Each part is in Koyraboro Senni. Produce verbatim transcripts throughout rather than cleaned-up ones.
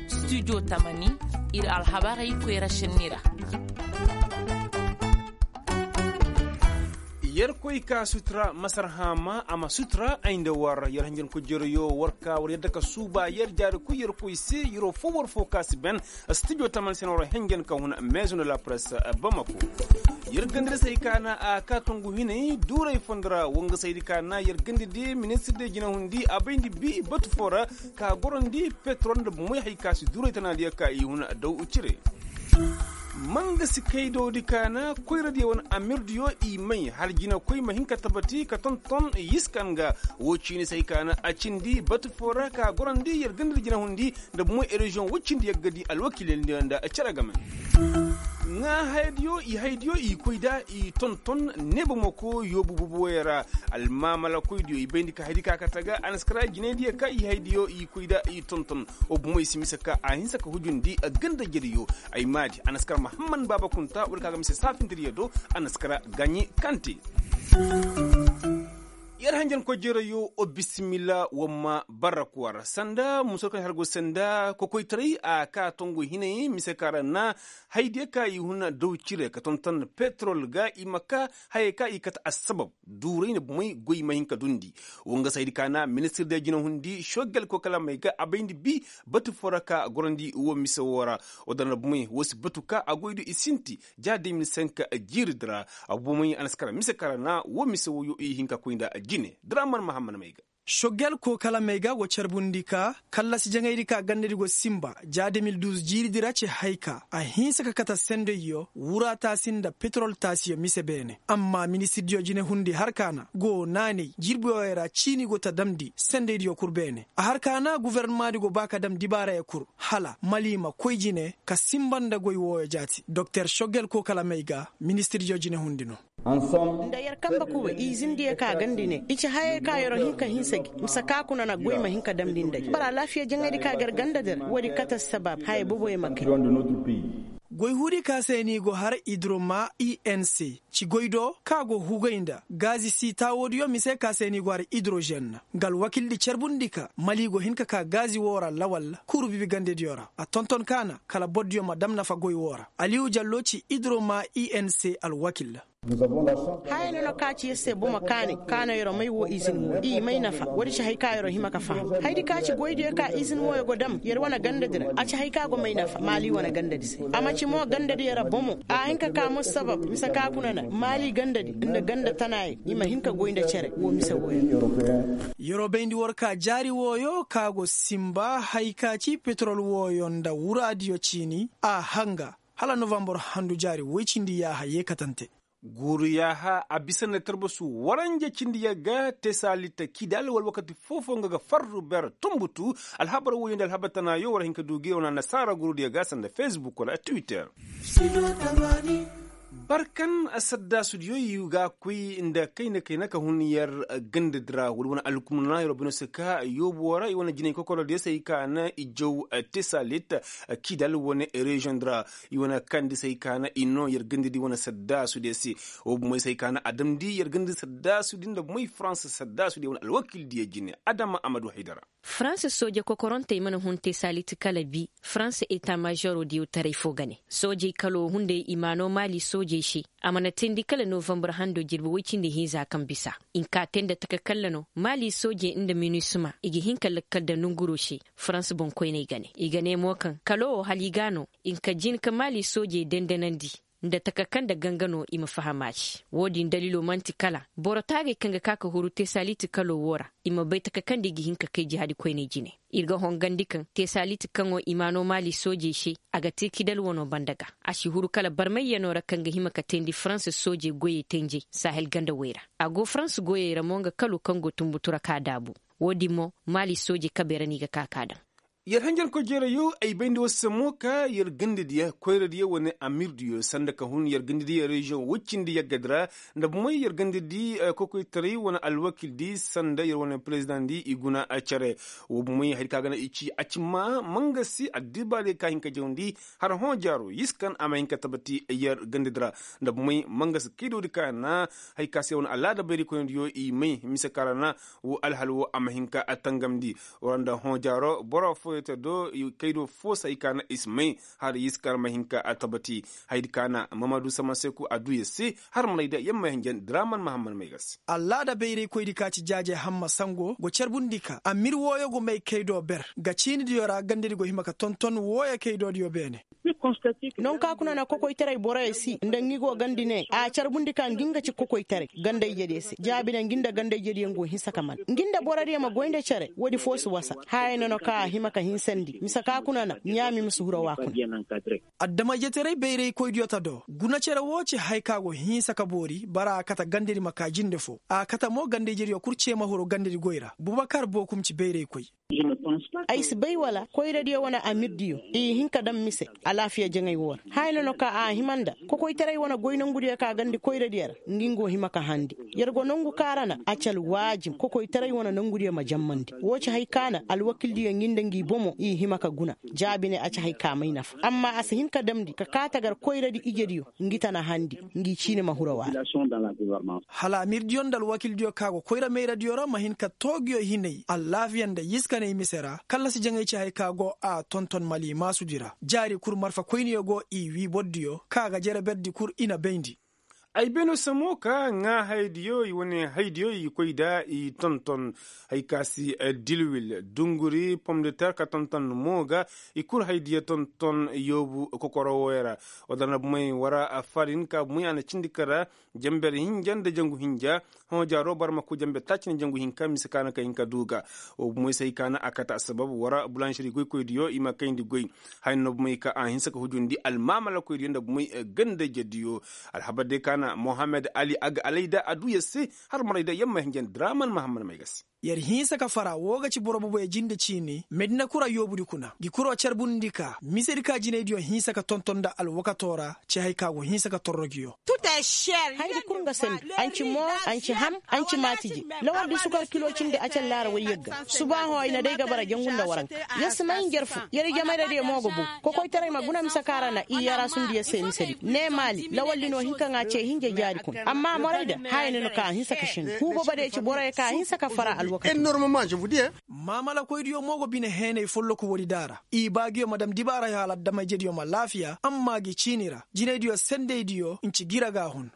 Studio tamani, ir alhabarey koyra šenni ra. Yerkoy ka sutura masarhama a ma sutura ay nda war yer hanjankoy jereyo war ka war yadda ka suuba yer jaari koy yerkoy se yeroo fo war fo ka si ben. Studio taman se na war hanjan ka huna maison de la presse bamako. Yer gandadi se hay ka na a ka tongu hinay duuray fondo ra wanga se hay di ka na yer gandadi ministir de jinahundi a bayndi bi batu fo ra ka gorandi petrol nda bomoy hay ka si duuray tanaadiya ka i huna daw cire. Manga si kaydodi ka na koyradiyo wane amirdiyo i may hala jinakoy ma hin ka tabati ka tonton yiskan ga. Woo ciini se hay ka na a cindi batu fo ra ka gorandi yer gandadi jinahundi nda bomoy ereziyoŋ woy cindi yaggadi alwakiilyandiyo nda cere game. Ŋaa hayadiyo i hayadiyo i koy nda i tonton neeba moko yoobu boboyey ra. Almaamalakoydiyo i bayndi ka hayadi ka kate ga a na si kara jinaydiyo ka i hayadiyo i koy nda i tonton. Woo bomoy si mise ka a hinsa ka hujundi gandajediyo. Ay maadi a na si kara mahamman baaba kunta woodi ka ga mise saafintediyo do. A na si kara gaɲi kante. Yer hanjankoy jereyo o bisimila wamma barraku war sanda muso kaŋ har go sanda kokoytaray a ka tongu hinay mise ka ra na haydiyo ka i huna daw cire ka tonton petrol ga i ma ka hayey ka i kate assabab duuray na bomey goy ma hin ka dundi. Woo nga se haydi ka na ministir de jinahundi sogel kokalamey ga a bayndi bi batu fo ra ka gorandi woo mise woo ra. Woo dara na bomey woo si batu ka a goy do i sinti ja de mil cinq jiiridi ra. Abubamay a na si kara mise kara na woo mise wooyo i hin ka koy nda jine draman mahammad may ga. Sogel kookalamey ga go carbundi ka kallasi jaŋaydi ka gandadi go sinba ja de mil duuz jiiridi ra ci hay ka a hinsa ka kate sendayyo wura taasi nda petrol taasiyo mise beene amma ministirdiyo jinehundi har ka na go naanay jirbi wooyo ra ciini go ta damndi sendaydiyo kul beene a har ka na gofornamaadi go ba ka dam dibaarayey kul hala mali ma koy jine ka sinba nda goy wooyo jaati doktor sogel kookalamey ga ministirdiyo jinehundi no. Nda yer kanbe kuba izindiyo ka gandi ne i ci hayey ka yer'o hin ka hinsa gi mise ka kuna na goy ma hin ka damndi nda gi boro alaafiya jaŋaydi ka ga yer gandadi ra woodi kate assabab haya boboyo ma kay. Goy huudi ka se ni go har idroma i n c ci goy do ka go hugay nda gaazi si taawoodiyo mise ka se ni go har idrozen nga alwakildi carbundi ka mali go hin ka ka gaazi woo ra lawal kuuru bibi gandediyo ra a tonton ka na kala bordiyo ma dam nafa goy woo ra aliyu jallo ci idroma i n c alwakil. Haya no na ka ci yer se bomo kaani ka na yer'o may woo izin woo i may nafa woodi ci hay ka yer'o hima ka faham haydi ka ci goydiyo ka izin wooyo go dam yer wane gandadi ra a ci hay ka go may nafa maali wane gandadi se a ma ci mo gandadiyo ra bomo a hin ka ka mo sabab mise ka kuna na maali gandadi nda ganda tanaayey i ma hin ka goy nda cere woo mise wooyo. Yer'o bayndi war ka jaari wooyo ka go sinba hay ka ci petrol wooyo nda wuraadiyo ciini a hanga hala novambur handu jaari woy cindi yaaha yeekatante. Guuru yaaha a bisa nda tarbasu waranja cindi yagga tesalit kidal wala wakati foofo nga ga farru ber tumbutu. Alhabar woyo nda alhabar tanaayo war hin ka du gi wana nasaara guurudiyo ga sanda fesbuk wala twitter. Barkan saddaasudiyo i ga koy nda kayna kayna ka hun yer gandadi ra wala wane alkumna yer wo bino se ka yoobu wo ra i wane jinay kokorodiyo se i ka na i jaw tesalit kidal wane reziyoŋ di ra. I wane kandi se i ka na i noo yer gandadi wane saddaasudiyo se. Wo bomey se i ka na a damndi yer gandadi saddaasudi nda bomey faransa saddaasudiyo wane alwakildiyo jine adama amadu haydara. Faransa sooje kokorontey mana hun tesalit kala bi faransa eta maazoroo diyo taray foo ga ne soojey kaloo hunday i maanoo maali soojey se. A mana teendi kala novambur handoo jirbi woy cindi hinza kaŋ bisa i nkaa tee nda taka kalla no maali soojey nda minisima i ga hin ka lakkal nda nonguroo se. Faransa boŋkoyney ga ne i ga ne mo kaŋ kaloo wo hala i ga a no i nka jin ka maali soojey dendenandi nda taka kaŋ nda ganga no i ma faham a se. Wo-din daliiloo man'ti kala boro taagey kaŋ ga ka ka huru tesalit kaloo woo ra i ma bay taka kaŋ nda i ga hin ka kay jihaadi koyney jine. Ir ga hongandi kaŋ tesalit kaŋo i maanoo maali soojey se a ga tee kidal wanoo banda ga. A si huru kala barmayyanoo ra kaŋ ga hima ka teendi faransa soojey goyey tenjey sahel gandawey ra. A go faransa goyey ra mo nga kaloo kaŋ go tunbutu ra ka daabu. Wo-din mo maali soojey kabey ra no i ga ka ka daŋ. Yer hanjankoy jeerayo ay bayndi woo se mo ka yer gandadiya koyradiya wane amirdiyo sanda ka hun yer gandadiya reziyoŋ woy cindi yaggadi ra. Nda bumey yer gandadi kokoytaray wane alwakildi sanda yer wane perezidaŋdi i guna cere. Woo bumey hari ka ga na i ci a ci maa mangasi addibaadiyo ka hin ka jawndi har hõ jaaro yiskan a ma hin ka tabati yer gandadi ra. Nda bumey mangasi kaydoodi ka na hari ka se wane alaada bayraykoynadiyo i may mise ka ra na woo alhal woo a ma hin ka tangamndi. War nda hõ jaaro boro fooyoo te do kaydo foo se hay ka na i si may har yiskan ma hin ka tabati. Haydi ka na mamadu samaseku a duu yer se har marayda yer ma hinjan draman mahamman may ga se. Allaada bayraykoydi ka ci jaaje hamma sango go carbundi ka amir wooyo go may kaydo ber ga ciinidiyo ra gandadi go hima ka tonton wooyo kaydoodiyo beene. Nonka kuna na kokoytaray boroyo si nda ngi go gandi ne a carbundi ka ngi nga ci kokoytaray ganda ijediyo se jaabi ne ngi nda ganda ijediyo ngi go hinsa ka man ngi nda borodiyo ma goy nda cere woodi foo si wasa. Haya nono ka a hima ka hinsandi mise ka kuna na ɲaami ma si hura wa kuna. Adama-ijetaray bayraykoydiyo ta do guna cere woo ci haya ka go hinsa ka boori bara a kate gandadi ma kaa jinde foo a kate mo ganda ijediyo kul cee ma huru gandadi goy ra bubakar bookum ci bayraykoy. Ay si bay wala koyradiyo wane amirdiyo i hin ka daŋ mise alaafiya jaŋay woo ra. Haya nono ka a hima nda kokoytaray wane goy nongudiyo ka gandi koyradiyo ra ngi ngi go hima ka handi. Yer go nongu ka ra na a ci alwaajib kokoytaray wane nongudiyo ma jammandi woo ci hay ka na alwakildiyo ngi nda ngi bomo i hima ka guna. Jaabi ne a ci hay ka may nafa amma a si hin ka damndi ka kaa tagar koyradi ijediyo ngi tana handi ngi ciini ma hura waara. Hala amirdiyo nda alwakildiyo ka go koyra mayradiyo ra ma hin ka too nguyo hinay allaafiya nda yiskanay mise ra kallasi jaŋay ci hay ka go a tonton malimaasudi ra jaari kul marfa koyniyo go i wii bordiyo ka ga jere berdi kul i na bayndi. Ay beno se mo ka ŋaa hayadiyo i wane hayadiyo i koy nda i tonton. Hay ka si dilwil dunguri pomdeter ka tonton mo ga i kul hayadiyo tonton yoobu kokoro wooyo ra. Wala na bumey wara farin ka bumey a na cindi kara jamber hinja nda jangu hinja. Hõ jaaro boro ma koy jamber taaci nda jangu hinka mise ka na ka hin ka duu ga. Woo bumey se hay ka na a kate assabab wara bulanšeri goykoydiyo i ma kayndi goy. Haya no bumey ka a hinsa ka hujundi almaamalakoydiyo nda bumey ganda-ijediyo. Alhabar day ka na mohammed ali aga alayda a duu yer se har marayda yer ma hinjan draman mahamman may ga se. Yer hinsa ka fara woo ga ci boro boboyo jinde ciini medina kura yoobudi kuna ngi kuro carbundi ka misedi ka jinaydiyo hinsa ka tonton nda alwakatoo ra. Ci hay ka go hinsa ka torro nguyo. Haydi kul nga sanni. Anci moo, anci ham, anci maatije. Lawaldi sukar kilo cindi acal laara woy yagga. Subaaho ay na day ga bara jangu nda waranka. Yer si may njarfu. Yer ijemayradiyo mo ga bow. Kokoytaray ma guna mise kaŋ ra na i yaraasundi yer se misedi ne maali lawaldi no hin ka ŋaa cee hinja jaari kuna amma morayda haya na no ka a hinsa ka šengu huubabadiyo ci boroyo ka a hinsa ka fara alwakati. Maamalakoydiyo mo go bine heenay folloku woodi daara. I baagiyo ma dam dibaarayo hala adama-ijediyo ma laafiya amma gi ciini ra jinaydiyo sendeydiyo nci gira ga a hun.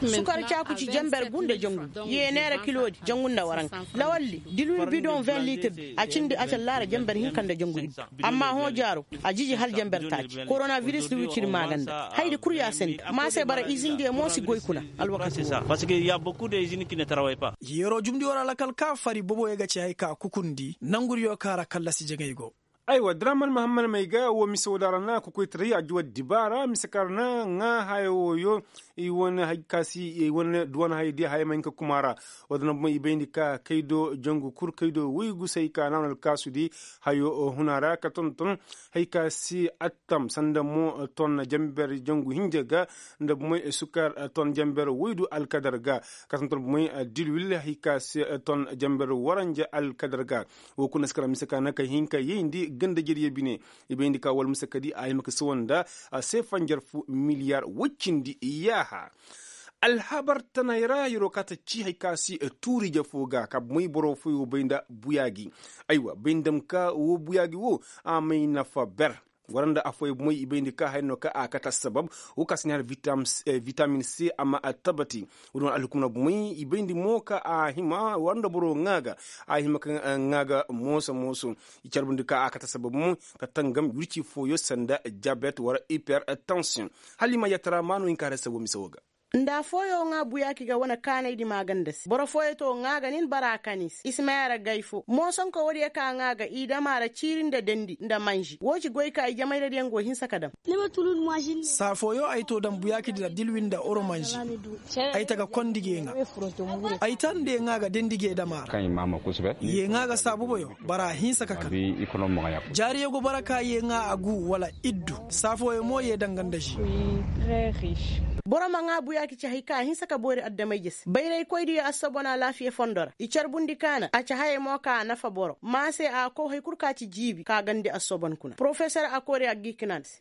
Sukar caaku ci jamber gu nda jangu yeeneera kiloodi jangu nda waranka. Lawaldi dilwil bidoŋ vin liitirdi a cindi acal laara jamber hinka nda jangu iddu. Amma hõ jaaro a jiji hal jamber taaci koronavirisdi wiciri maaganda haydi kul ya sandi maa se bara izindiyo mo si goy kuna. Alwakati woo. Yeroo jumndi war alakal ka fari boboyo ga ci hay ka kukundi nongudiyo ka ra kallasi jaŋay go. Aywa draman mahamman may ga woo mise woo da ra na kokoytaray a juwa dibaara mise ka ra na ŋaa haya wooyo. I wane hay ka si i wane duwan hayadiyo haya ma hin ka kuma ra. Woo da na bumey i bayndi ka kaydo jangu kul kaydo woygu se hay ka na wane alkaasudi hayo huna ra ka tonton hay ka si attam sanda mo ton jamber jangu hinja ga nda bumey sukar ton jamber woydu alkadar ga. Ka tonton bumey dilwil hay ka si ton jamber waranja alkadar ga. Woo kuna si kara mise ka na ka hin ka yayndi ganda-ijediyo bine. I bayndi ka wala mise kadi a hima ka sawa nda seefa njarfu miliyar woy cindi yaaha. Alhabar tanay ra yeroo ka ta ci hay ka si tuuri-ije foo ga ka bumey boro fooyoo bay nda buyaa gi. Aywa bay nda ma ka woo buyaa gi woo a may nafa ber. War nda affooyoo bumey i bayndi ka haya no ka a kate assabab woo ka si ni har vitamin c a ma attabati. Woo din wane alhukumna bumey i bayndi mo ka a hima war nda boro ŋaa ga a hima ka ŋaa ga mooso mooso. I carbundi ka a kate assabab mo ka tangam wirci fooyoo sanda diyabet war hipertension. Hala i ma yaatara maanu hin ka har assabab mise woo ga. Nda fooyo ŋaa buyaaki ga wane kaanaydi maaganda se boro fooyo to ŋaa ga nin bara a kan i se i si may a ra gay fo moosonko woodiyo ka ŋaa ga i dam a ra ciiri nda dendi nda manži woo ci goy ka i jamayradiyaŋ go hinsa ka dam. Saa fooyo ay to dam buyaakidi ra dilwi nda oromanži. Ay ta ga kondi gee ŋaa. Ay ta nda yee ŋaa ga dendi gee dam a ra. Yee ŋaa ga saabuboyo bara a hinsa ka kan. Jaariyo go bara ka yee ŋaa a gu wala iddu. Saa fooyo mo yee danga nda ži. Boro ma ŋaa buyaaki ci hay ka a hinsa ka boori addamayje se bayraykoydiyo assobon alaafiya fondo ra i carbundi ka na a ci hayey mo ka a nafa boro ma se a kow hay kul ka ci jiibi ka gandi assobon kuna porofesor a koori a gii ka na a se.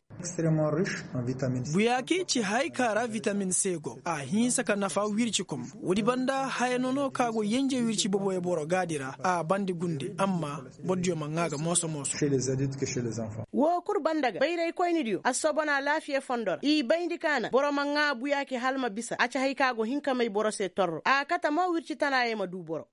Buyaaki ci hay ka ra vitamin se go a hinsa ka nafa wirci kom. Woodi banda haya nono ka go yenje wirci boboyo boro gaadi ra a bandi gunde amma bordiyo ma ŋaa ga mooso mooso. Woo kul banda ga bayraykoynidiyo assobon alaafiya fondo ra i bayndi ka na boro ma ŋaa buyaaki hala ma bisa a ci hay ka go hin ka may boro se torro a kate mo wirci tanaayey ma duu boro.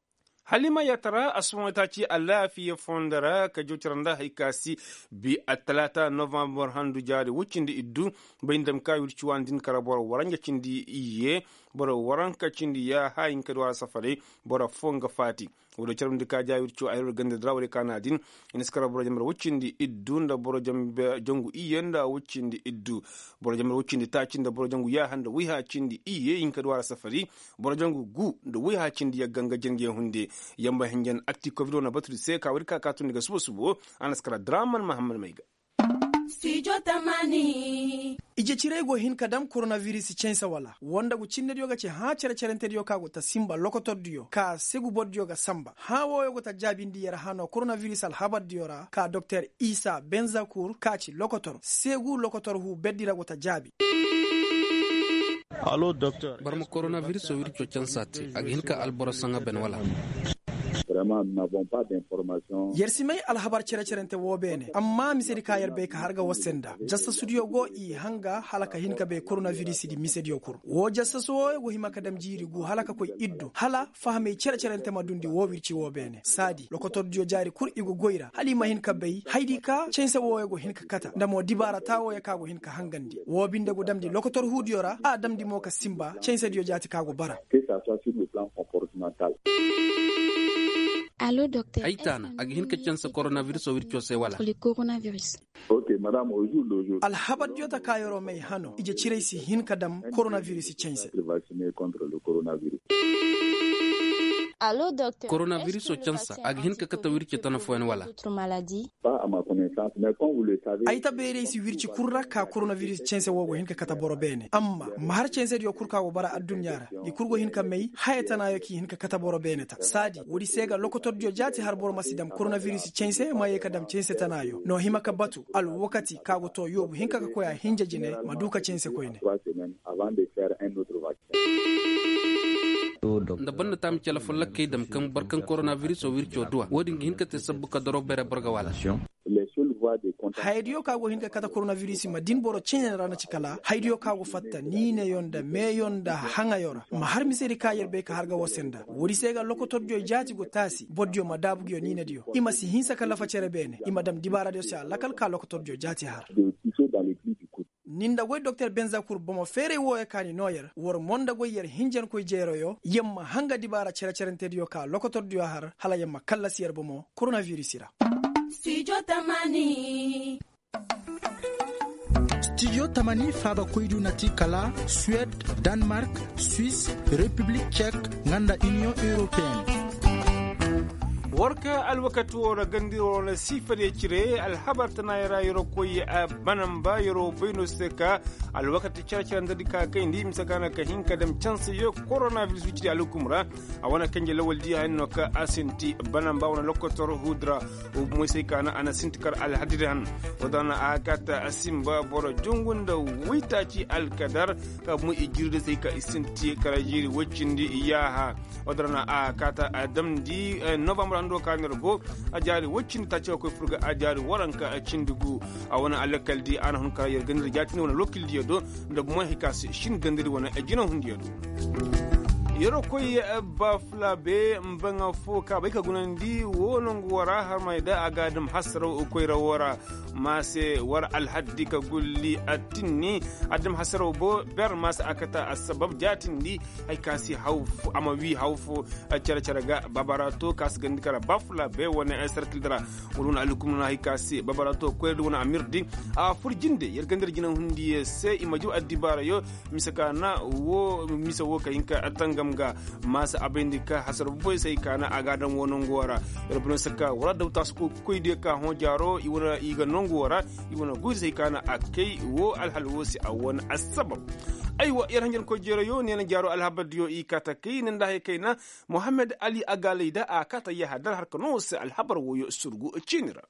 Hala i ma yaatara assumaŋ taaci alaafiya fondo ra ka jawcara nda hay ka si bi attalaata novambar handu jaari woy cindi iddu. Bay nda ma ka wirci waani din kara boro waranja cindi iyye boro waranka cindi yaaha hinka duw'a ra safaray. Boro foo nga faati. Woodiyo carbundi ka jaari wirci woo ay ra ganda dira woodiyo ka na din. I na si kara boro jambar woy cindi iddu nda boro jangu iyye nda woy cindi iddu. Boro jangu taaci nda boro jangu yaaha nda woyha cindi iyye hinka duw'a ra safari. Boro jangu gu nda woyha cindi yagga nga jangey hunde. Yamba hinjan akti kobid wane batudi se ka woodi ka kaatundi ga subo subo. A na si kara draman mahammad may ga. Ije ciray go hin ka dam koronabiris canse wala woo nda gu cinnediyo ga ci hãa cere-cerentediyo ka go ta sinba lokotordiyo ka segu bordiyo ga sanba hãa wooyo go ta jaabindi yer hano koronabiris alhabardiyo ra ka doktor isa benzakur ka ci lokotor segu lokotor huu berdi ra go ta jaabi. Boro ma koronabiris wirco canse a te a ga hin ka alboro saŋa ben wala? Yer si may alhabar cere-cerente woo beene amma misedi ka yer bay ka har ga war se nda jassasudiyo go i hanga hala ka hin ka bay koronabirisidi misediyo kul woo jassasu wooyo go hima ka dam jiiri gu hala ka koy iddu hala fahamey cere-cerente ma dundi woo wirci woo beene saadi lokotordiyo jaari kul i go goy ra hala i ma hin ka bay haydi ka canse wooyo go hin ka kata nda mo dibaara taa wooyo ka go hin ka hangandi woo binde go damndi lokotor huudiyo ra a damndi mo ka sinba cansediyo jaati ka go bara. Ay taana a ga hin ka canse koronabirisoo wircoo se wala? Alhabardiyo ta ka yeroo may hano ije ciray si hin ka dam koronabiris canse. Koronabirisoo canse a ga hin ka kate wirce tana fooyaŋ wala? Ay ta bayray si wirci kul ra ka koronabiris canse woo go hin ka kate boro beene amma ma har cansediyo kul ka go bara adduɲɲa ra i kul go hin ka may haya tanaayo k'i hin ka kate boro beene ta saadi woodi se ga lokotordiyo jaati har boro ma si dam koronabiris canse ma yee ka dam canse tanaayo no hima ka batu alwakati ka go too yoobu hinka ka koy a hinja jine ma duu ka canse koyne. Nda banda taami cala fo lakkey dam kaŋ boro kaŋ koronabirisoo wircoo duw'a woo din ga hin ka te sabbu ka doro bere boro ga wala? Hayadiyo ka go hin ka kate koronabiris ma din boro cene ra na ci kala hayadiyo ka go fatta niineyo nda meeyo nda haŋayo ra ma har misedi ka yer bay ka har ga war se nda woodi se ga lokotordiyo jaati go taasi bordiyo ma daabu nguyo niinediyo i ma si hinsa ka lafa cere beene i ma dam dibaaradiyo se alakal ka lokotordiyo jaati har. Ni nda goy doktor benzakur bomo feeray wooyo ka ni noo yer war mo nda goy yer hinjankoy jeeroyo yer ma hanga dibaara cere-cerentediyo ka lokotordiyo har hala yer ma kallasi yer bomo koronabiris ra. Stijo tamani faaba koydu na ti kala suwed, danmark, swis, repiblik cek, nga nda iniyoŋ europeen. War ka alwakati woo ra gandiro na siifadiyo cire alhabar tanaayoo ra yeroo koy banamba yeroo bay no se ka alwakati care-care nda di ka kayndi mise ka na ka hin ka dam canseyo koronabiris wicidi alhukum ra. A wane kanje lawaldi haya no ka a sinti banamba wane lokotor huudi ra. Moysey ka na a na sinti kar alhadiri han. Woo da na a kaata a sinba boro jungu nda waytaaci alkadar ka mo i jirdi se ka i sinti kar jiiri woy cindi yaaha. Woo da na a kaata a damndi novambar hando ka no yer go a jaari woy cindi taaci ka koy fur ga a jaari waranka cindi gu. A wane alakaldi a na hun kar yer gandari jaatindi wane lokildiyo do nda gumo hay ka si shin gandari wane jinahundiyo do. Yeroo koy, baafula bee mbaŋa fo ka bay ka gunandi woo nongu woo ra harmay da a ga a dam hasaraw koyra woo ra. Ma se war alhaddi ka gulli a tinni a dam hasaraw bo ber ma se a kata assabab jaatindi. Hay ka si haw fo a ma wii haw fo cere-cere ga baabara to ka si gandi kara baafula bee wane sarkil dira. Wala wane alhukum no na hay ka si baabara to koyra di wane amir di a fur jinde yer gandi ra jina hundiyo se i ma jaw addibaarayo. Mise ka na woo mise woo ka hin ka tangam ga. Ma si a bayndi ka hasara boboy se hay ka na a ga a daŋ woo nongu woo ra. Yer boro se ka wala daw taasu koydiyo ka hõ jaaro i wane i ga nongu woo ra. I wane goydi se hay ka na a kay woo alhal woo se a wane assabab. Aywa yer hanjankoy jeerayo neena jaaro alhabardiyo i kaa ta kay ne nda haya kayna. Mohammed ali agaalay da a kaa ta yahadar harka no se alhabar wooyo surgu ciini ra.